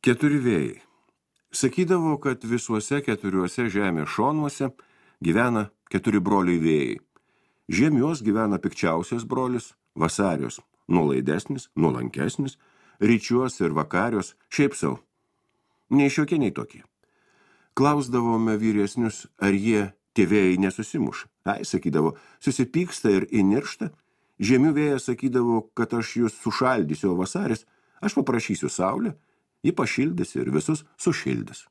Keturi vėjai. Sakydavo, kad visuose keturiuose žemės šonuose gyvena keturi broliai vėjai. Žiemios gyvena pikčiausias brolis, vasarios nuolaidesnis, nuolankesnis, ryčios ir vakarios šiaip sau. Nei šiokie, nei tokie. Klausdavome vyresnius, ar jie tie vėjai nesusimuša. Ai, sakydavo, susipyksta ir įniršta. Žiemių vėjas sakydavo, kad aš jūs sušaldysiu, o vasaris, aš paprašysiu saulę, ji pašildys ir visus sušildys.